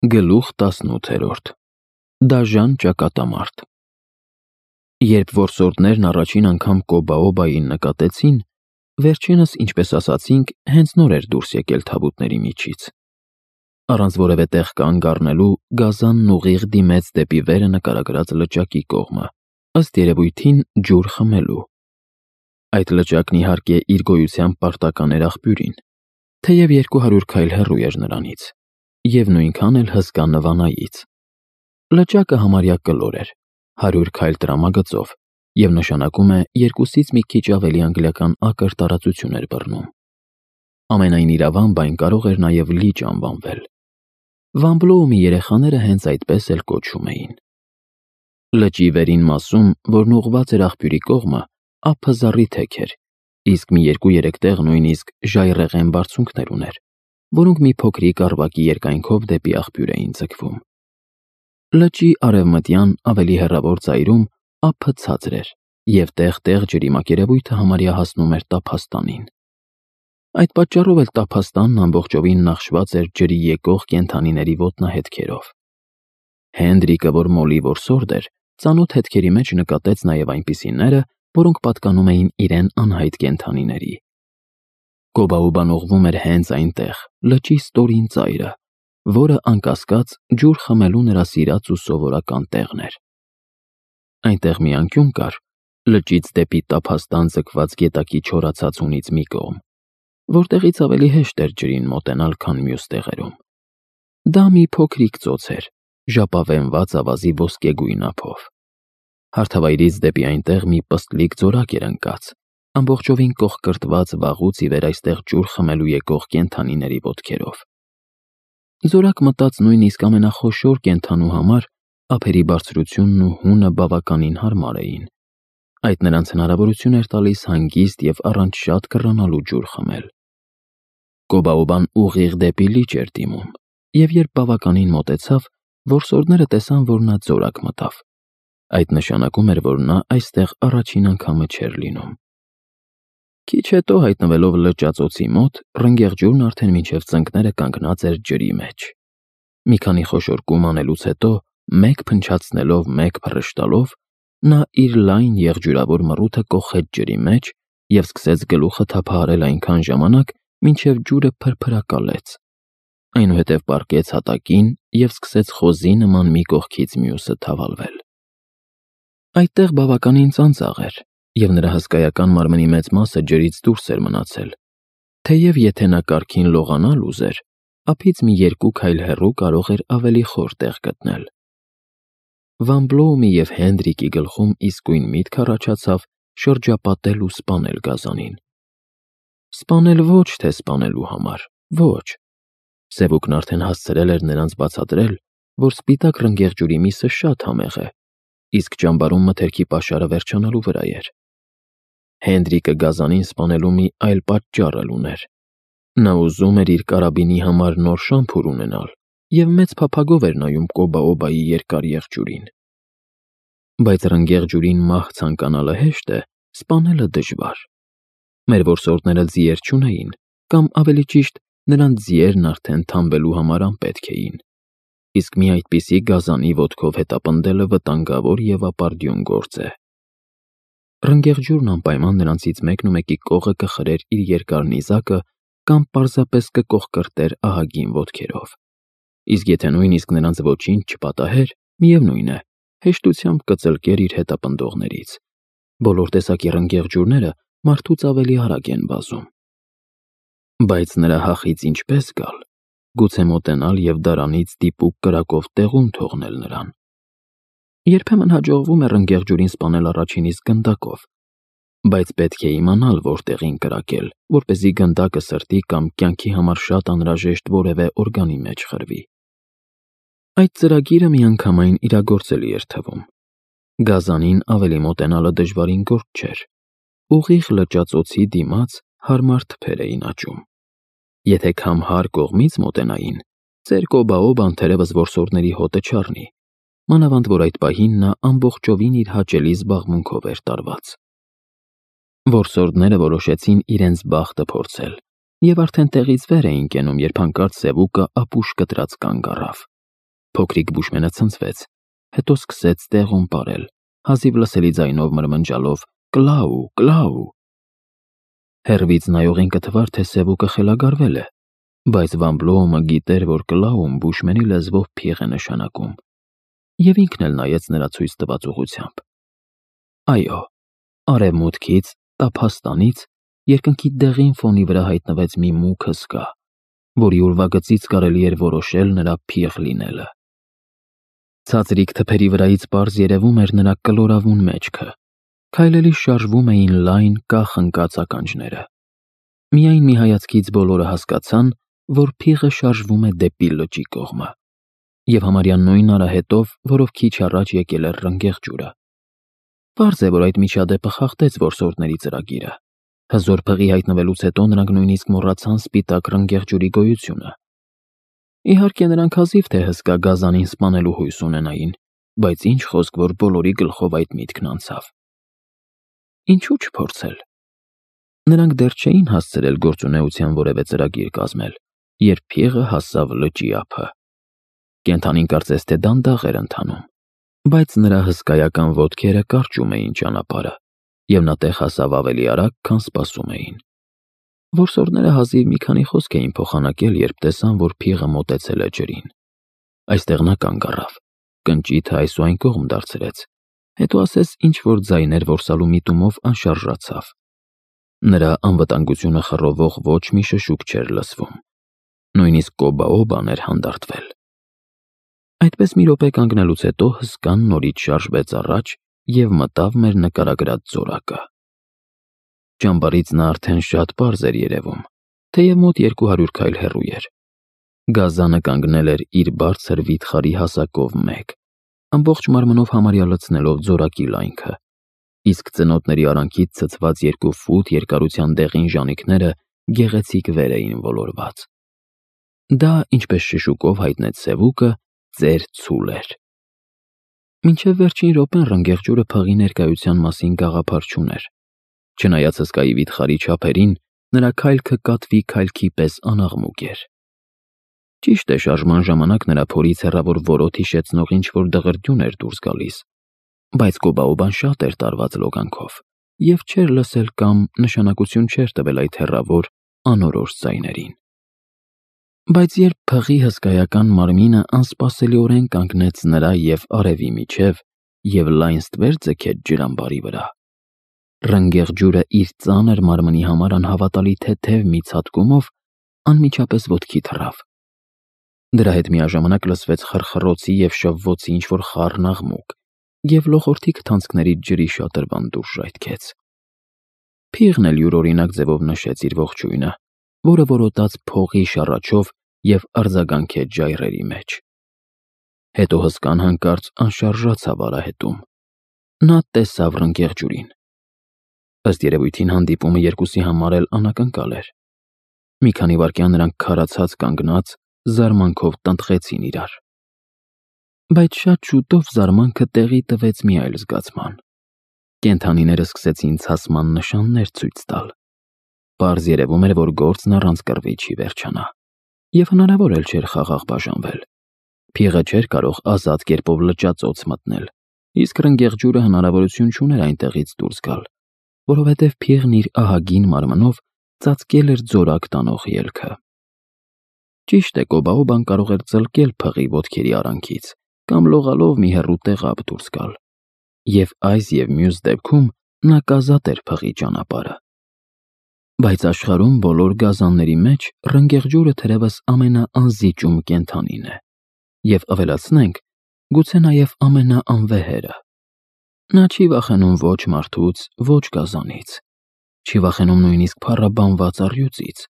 Գլուխ 18 Դաժան ճակատամարտ Երբ որսորդներն առաջին անգամ Կոբաոբային նկատեցին, վերջինս, ինչպես ասացինք, հենց նոր էր դուրս եկել թավուտների միջից։ Առանց որևէ տեղ կանգ առնելու, գազանն ուղիղ դիմեց դեպի վերը նկարագրած լճակի կողմը, ըստ երևույթին ջուր խմելու։ Այդ լճակն իհարկե իր գոյությամբ պարտական էր աղբյուրին, թեև 200 քայլ հեռու էր նրանից, և նույնքան էլ հսկա Նվանայից։ Լճակը համարյա կլոր էր, 100 քայլ տրամագծով, և նշանակում է երկուսից մի քիչ ավելի անգլիական ակր տարածություն էր բռնում։ Ամենայն իրավամբ այն կարող էր նաև լիճ անվանվել։ Վամբլոումի երեխաները հենց այդպես էլ կոչում էին։ Լճի վերին մասում, որն ուղղված էր աղբյուրի կողմը, ափը զառիթեք էր, իսկ մի 2-3 տեղ նույնիսկ ժայռեղեն բարձունքներ ուներ, որոնք մի փոքրիկ առվակի երկայնքով դեպի աղբյուր էին ձգվում։ Լճի արևմտյան, ավելի հեռավոր ծայրում ափը ցածր էր, և տեղ-տեղ ջրի մակերևույթը համարյա հասնում էր տափաստանին։ Այդ պատճառով էլ տափաստանն ամբողջովին նախշված էր ջրի եկող կենդանիների ոտնահետքերով։ Հենդրիկը, որ Մոլի որսորդ էր, ծանոթ հետքերի մեջ նկատեց նաև այնպիսիները, որոնք պատկանում էին իրեն անհայտ կենդանիների։ Կոբաոբան ուղղվում էր հենց այնտեղ, լճի ստորին ծայրը, որը, անկասկած, ջուր խմելու նրա սիրած ու սովորական տեղն էր։ Այնտեղ մի անկյուն կար, լճից դեպի տափաստան ձգված գետակի չորացած հունից մի կողմ, որտեղից ավելի հեշտ էր ջրին մոտենալ, քան մյուս տեղերում։ Դա մի փոքրիկ ծոց էր, ժապավենված ավազի ոսկեգույն ափով։ Հարթավայրից դեպի այնտեղ մի պստլիկ ձորակ էր ընկած, ամբողջովին կողկրտված վաղուց ի վեր այստեղ ջուր խմելու եկող կենդանիների ոտքերով։ Զորակ մտած նույնիսկ ամենախոշոր կենդանու համար ափերի բարձրությունն ու հունը բավականին հարմար էին։ Այդ նրանց հնարավորություն էր տալիս հանգիստ և առանց շատ կռանալու ջուր խմել։ Կոբաոբան ուղիղ դեպի լիճ էր դիմում, և երբ բավականին մոտեցավ, որսորդները տեսան, որ նա ձորակ մտավ։ Այդ նշանակում էր, որ նա այստեղ առաջին անգամը չէր լինում։ Քիչ հետո, հայտնվելով լճածոցի մոտ, ռնգեղջյուրն արդեն մինչև ծնկները կանգնած էր ջրի մեջ։ Մի քանի խոշոր կում անելուց հետո, մեկ փնչացնելով, մեկ փռշտալով, նա իր լայն եղջյուրավոր մռութը կոխեց ջրի մեջ և սկսեց գլուխը թափահարել այնքան ժամանակ, մինչև ջուրը փրփրակալեց։ Այնուհետև պառկեց հատակին և սկսեց խոզի նման մի կողքից մյուսը թավալվել։ Այդտեղ բավականին ծանծաղ էր, և նրա հսկայական մարմնի մեծ մասը ջրից դուրս էր մնացել, թեև եթե նա կարգին լողանալ ուզեր, ափից մի 2 քայլ հեռու կարող էր ավելի խոր տեղ գտնել։ Վամբլոումի և Հենդրիկի գլխում իսկույն միտք առաջացավ շրջապատել ու սպանել գազանին։ Սպանել ոչ թե սպանելու համար, ոչ։ Սևուկն արդեն հասցրել էր նրանց բացատրել, որ սպիտակ ռնգեղջյուրի միսը շատ համեղ է, իսկ ճամբարում մթերքի պաշարը վերջանալու վրա էր։ Հենդրիկը գազանին սպանելու մի այլ պատճառ էլ ուներ։ Նա ուզում էր իր կարաբինի համար նոր շամփուր ունենալ և մեծ փափագով էր նայում Կոբաոբայի երկար եղջյուրին։ Բայց ռնգեղջյուրին մահ ցանկանալը հեշտ է, սպանելը դժվար։ Մեր որսորդները ձիեր չունեին, կամ ավելի ճիշտ, նրանց ձիերն արդեն թամբելու համար անպետք էին, իսկ մի այդպիսի գազանի ոտքով հետապնդելը վտանգավոր և ապարդյուն գործ է։ Ռնգեղջյուրն անպայման նրանցից մեկնումեկի կողը կխրեր իր երկար նիզակը կամ պարզապես կկողկրտեր ահագին ոտքերով, իսկ եթե նույնիսկ նրանց ոչինչ չպատահեր, միևնույն է, հեշտությամբ կծլկեր իր հետապնդողներից։ Բոլոր տեսակի ռնգեղջյուրները մարդուց ավելի արագ են վազում։ Բայց նրա հախից ինչպես գալ, գուցե մոտենալ և դարանից դիպուկ կրակով տեղում թողնել նրան։ Երբեմն հաջողվում է ռնգեղջյուրին սպանել առաջին իսկ գնդակով, բայց պետք է իմանալ որտեղին կրակել, որպեսզի գնդակը սրտի կամ կյանքի համար շատ անհրաժեշտ որևէ օրգանի մեջ խրվի։ Այդ ծրագիրը միանգամայն իրագործելի էր թվում։ Գազանին ավելի մոտենալը դժվարին գործ չէր։ Ուղիղ լճածոցի դիմաց հարմար թփեր էին աճում։ Եթե քամհար կողմից մոտենային, ծեր Կոբաոբան թերևս որսորդների հոտը չառնի, մանավանդ որ այդ պահին նա ամբողջովին իր հաճելի զբաղմունքով էր տարված։ Որսորդները որոշեցին իրենց բախտը փորձել և արդեն տեղից վեր էին կենում, երբ հանկարծ սևուկը ապուշ կտրած կանգ առավ։ Փոքրիկ բուշմենը ցնցվեց, հետո սկսեց տեղում պարել, հազիվ լսելի ձայնով մրմնջալով «Կլաու, Կլաու»։ Հեռվից նայողին կթվար, թե սևուկը խելագարվել է, բայց Վան Բլոումը գիտեր, որ Կլաուն բուշմենի լեզվով փիղ է նշանակում, և ինքն էլ նայեց նրա ցույց տված ուղղությամբ։ Այո, արևմուտքից, տափաստանից, երկնքի դեղին ֆոնի վրա հայտնվեց մի մուգ հսկա, որի ուրվագծից կարելի էր որոշել նրա փիղ լինելը։ Ցածրիկ թփերի վրայից պարզ երևում էր նրա կլորավուն մեջքը, քայլելիս շարժվում էին լայն կախ ընկած ականջները։ Միայն մի հայացքից բոլորը հասկացան, որ փիղը շարժվում է դեպի լճի կողմը, և համարյա նույն արահետով, որով քիչ առաջ եկել էր ռնգեղջյուրը։ Պարզ է, որ այդ միջադեպը խախտեց որսորդների ծրագիրը։ Հզոր փղի հայտնվելուց հետո նրանք նույնիսկ մոռացան սպիտակ ռնգեղջյուրի գոյությունը։ Իհարկե, նրանք հազիվ թե հսկա գազանին սպանելու հույս ունենային, բայց ինչ խոսք, որ բոլորի գլխով այդ միտքն անցավ։ Ինչու չփորձել։ Նրանք դեռ չէին հասցրել գործունեության որևէ ծրագիր կազմել, երբ փիղը հասավ լճի ափը։ Կենդանին կարծես թե դանդաղ էր ընթանում, բայց նրա հսկայական ոտքերը կարճում էին ճանապարհը, և նա տեղ հասավ ավելի արագ, քան սպասում էին։ Որսորդները հազիվ մի քանի խոսք էին փոխանակել, երբ տեսան, որ փիղը մոտեցել է ջրին։ Այստեղ նա կանգ առավ, կնճիթը այս ու այն կողմ դարձրեց, հետո ասես ինչ-որ ձայներ որսալու միտումով անշարժացավ։ Նրա անվտանգությունը խռովող ոչ մի շշուկ չէր լսվում։ Նույնիսկ կոբաոբան էր հանդարտվել։ Այդպես մի րոպե կանգնելուց հետո հսկան նորից շարժվեց առաջ և մտավ մեր նկարագրած ձորակը։ Ճամբարից նա արդեն շատ պարզ էր երևում, թեև մոտ 200 քայլ հեռու էր։ Գազանը կանգնել էր իր բարձր վիթխարի հասակով մեկ, ամբողջ մարմնով համարյա լցնելով ձորակի լայնքը, իսկ ծնոտների արանքից ցցված 2 ֆուտ երկարության դեղին ժանիքները գեղեցիկ վեր էին ոլորված։ Դա, ինչպես շշուկով հայտնեց սևուկը, ծեր ցուլ էր։ Մինչև վերջին րոպեն ռնգեղջյուրը փղի ներկայության մասին գաղափար չուներ։ Չնայած հսկայի վիթխարի չափերին, նրա քայլքը կատվի քայլքի պես անաղմուկ էր։ Ճիշտ է, շարժման ժամանակ նրա փորից հեռավոր որոտ հիշեցնող ինչ-որ դղրդյուն էր դուրս գալիս, բայց կոբաոբան շատ էր տարված լոգանքով և չէր լսել կամ նշանակություն չէր տվել այդ հեռավոր, անորոշ ձայներին։ Բայց երբ փղի հսկայական մարմինը անսպասելիորեն կանգնեց նրա և արևի միջև և լայն ստվեր ձգեց ջրամբարի վրա, ռնգեղջյուրը իր ծանր մարմնի համար անհավատալի թեթև մի ցատկումով անմիջապես ոտքի թռավ։ Դրա հետ միաժամանակ լսվեց խռխռոցի և շվվոցի ինչ-որ խառն աղմուկ, և լոխորդի քթանցքներից ջրի շատրվան դուրս ժայթքեց։ Փիղն էլ յուրօրինակ ձևով նշեց իր ողջույնը, որը որոտաց փողի շառաչով և արձագանքեց ժայռերի մեջ։ Հետո հսկան հանկարծ անշարժացավ արահետում։ Նա տեսավ ռնգեղջյուրին։ Ըստ երևույթին հանդիպումը երկուսի համար էլ անակնկալ էր։ Մի քանի վայրկյան նրանք քարացած կանգնած, զարմանքով տնտղեցին իրար։ Բայց շատ շուտով զարմանքը տեղի տվեց մի այլ զգացման։ Կենդանիները սկսեցին ցասման նշաններ ցույց տալ։ Պարզ երևում էր, որ գործն առանց կռվի չի վերջանա, և հնարավոր էլ չէր խաղաղ բաժանվել։ Փիղը չէր կարող ազատ կերպով լճածոց մտնել, իսկ ռնգեղջյուրը հնարավորություն չուներ այնտեղից դուրս գալ, որովհետև փիղն իր ահագին մարմնով ծածկել էր ձորակ տանող ելքը։ Ճիշտ է, կոբաոբան կարող էր ծլկել փղի ոտքերի արանքից կամ լողալով մի հեռու տեղապ դուրս գալ, և այս և մյուս դեպքում նա կազատ էր փղի ճանապարհը։ Բայց աշխարհում բոլոր գազանների մեջ ռնգեղջյուրը թերևս ամենաանզիջում կենդանին է, և ավելացնենք, գուցե նաև ամենաանվեհերը։ Նա չի վախենում ոչ մարդուց, ոչ գազանից, չի վախենում նույնիսկ փառաբանված առյուծից,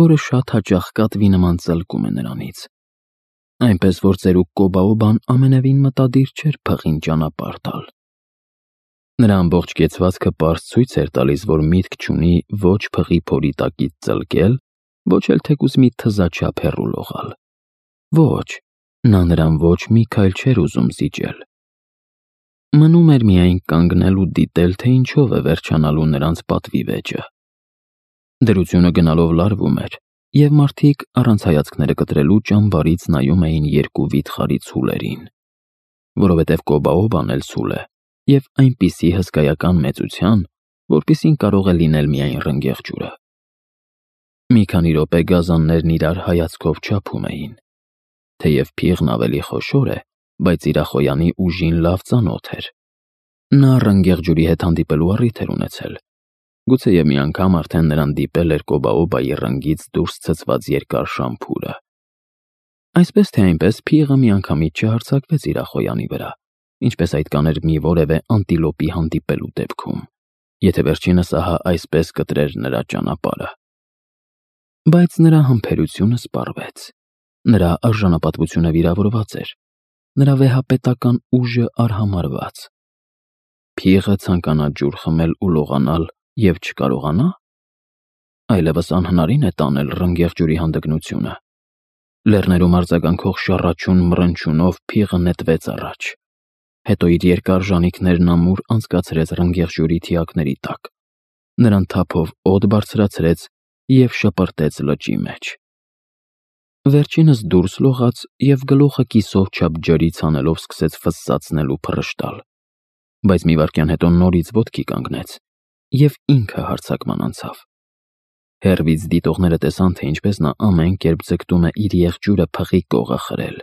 որը շատ հաճախ կատվի նման ծլկում է նրանից։ Այնպես որ ծերուկ կոբաոբան ամենևին մտադիր չէր փղին ճանապարհ տալ։ Նրա ամբողջ կեցվածքը պարզ ցույց էր տալիս, որ միտք չունի ոչ փղի փորի տակից ծլկել, ոչ էլ թեկուզ մի թզաչափ հեռու լողալ։ Ոչ, նա նրան ոչ մի քայլ չէր ուզում զիջել։ Մնում էր միայն կանգնել ու դիտել, թե ինչով է վերջանալու նրանց պատվի վեճը։ Դրությունը գնալով լարվում էր, և մարդիկ առանց հայացքները կտրելու ճամբարից նայում էին երկու վիթխարի ցուլերին, որովհետև Կոբաոբան էլ ցուլ է և այնպիսի հսկայական մեծության, որպիսին կարող է լինել միայն ռնգեղ ջուրը։ Մի քանի րոպե գազաններն իրար հայացքով չափում էին, թեև փիղն ավելի խոշոր է, բայց իրախոյանի ուժին լավ ծանոթ էր։ Նա ռնգեղ ջուրի հետ հանդիպելու առիթ էր ունեցել, գուցեև մի անգամ արդեն նրան դիպել էր Կոբաոբայի ռնգից դուրս ցցված երկար շամփուրը։ Այսպես թե այնպես փիղը միանգամից չհարձակվեց իրախոյանի վրա, ինչպես այդ կաներ մի որևէ անտիլոպի հանդիպելու դեպքում, եթե վերջինս ահա այսպես կտրեր նրա ճանապարհը։ Բայց նրա համբերությունը սպառվեց, նրա արժանապատվությունը վիրավորված էր, նրա վեհապետական ուժը արհամարհված։ Փիղը ցանկանա ջուր խմել ու լողանալ և չկարողանա։ Այլևս անհնարին է տանել ռնգեղ ջուրի հանդգնությունը։ Լեռներում արձագանքող շառաչուն մռնչյունով փիղը նետվեց առաջ, հետո իր երկար ժանիքներն ամուր անցկացրեց ռնգեղ ջուրի թիակների տակ, նրան թափով օդ բարձրացրեց և շպրտեց լճի մեջ։ Վերջինս դուրս լողաց և գլուխը կիսով չափ ջրից հանելով սկսեց ֆսսացնել ու փռշտալ, բայց մի վայրկյան հետո նորից ոտքի կանգնեց և ինքը հարձակման անցավ։ Հեռվից դիտողները տեսան, թե ինչպես նա ամեն կերպ ձգտում է իր եղջյուրը փղի կողը խրել,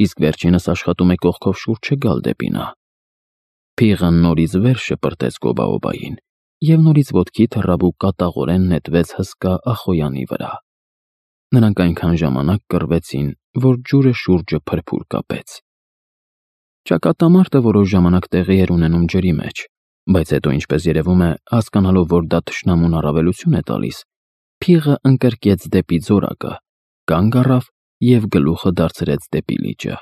իսկ վերջինս աշխատում է կողքով շուրջը գալ դեպի նա։ Փիղը նորից վեր շպրտեց Կոբաոբային և նորից ոտքի թռավ ու կատաղորեն նետվեց հսկա Ախոյանի վրա։ Նրանք այնքան ժամանակ կռվեցին, որ ջուրը շուրջը փրփուր կապեց։ Ճակատամարտը որոշ ժամանակ տեղի էր ունենում ջրի մեջ, բայց հետո, ինչպես երևում է, հասկանալով, որ դա թշնամուն առավելություն է տալիս, փիղը ընկրկեց դեպի ձորակը, կանգ առավ և գլուխը դարձրեց դեպի լիճը։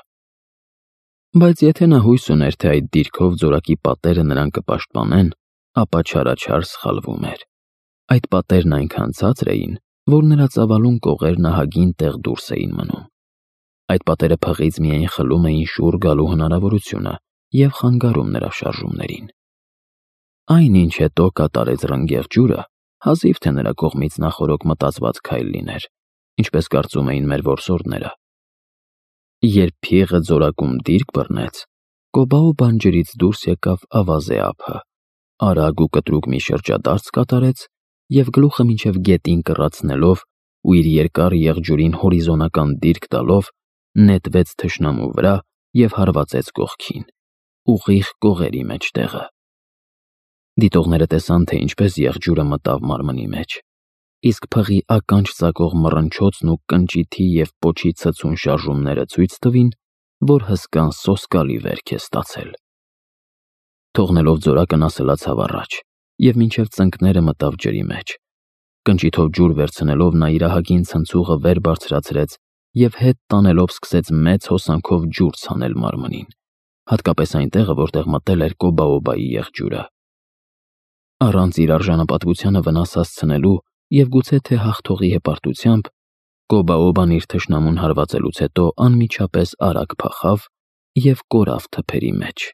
Բայց եթե նա հույս ուներ, թե այդ դիրքով ձորակի պատերը նրան կպաշտպանեն, ապա չարաչար սխալվում էր։ Այդ պատերն այնքան ցածր էին, որ նրա ծավալուն կողերն ահագին տեղ դուրս էին մնում։ Այդ պատերը փղից միայն խլում էին շուռ գալու հնարավորությունը և խանգարում նրա շարժումներին։ Այն, ինչ հետո կատարեց ռնգեղ ջուրը, հազիվ թե նրա կողմից նախօրոք մտածված քայլ լիներ, ինչպես կարծում էին մեր որսորդները։ Երբ փիղը ձորակում դիրք բռնեց, Կոբաոբան ջրից դուրս եկավ ավազե ափը, արագ ու կտրուկ մի շրջադարձ կատարեց և գլուխը մինչև գետին կռացնելով ու իր երկար եղջյուրին հորիզոնական դիրք տալով նետվեց թշնամու վրա և հարվածեց կողքին, ուղիղ կողերի մեջտեղը։ Դիտողները տեսան, թե ինչպես եղջյուրը մտավ մարմնի մեջ, իսկ փղի ականջ ծակող մռնչոցն ու կնճիթի և պոչի ցցուն շարժումները ցույց տվին, որ հսկան սոսկալի վերք է ստացել։ Թողնելով ձորակը նա սլացավ առաջ և մինչև ծնկները մտավ ջրի մեջ։ Կնճիթով ջուր վերցնելով նա իր ահագին ցնցուղը վեր բարձրացրեց և հետ տանելով սկսեց մեծ հոսանքով ջուր ցանել մարմնին, հատկապես այն տեղը, որտեղ մտել էր Կոբաոբայի եղջյուրը։ Առանց իր արժանապատվությանը վնաս հասցնելու և գուցե թե հաղթողի հպարտությամբ, Կոբաոբան իր թշնամուն հարվածելուց հետո անմիջապես արագ փախավ և կորավ թփերի մեջ։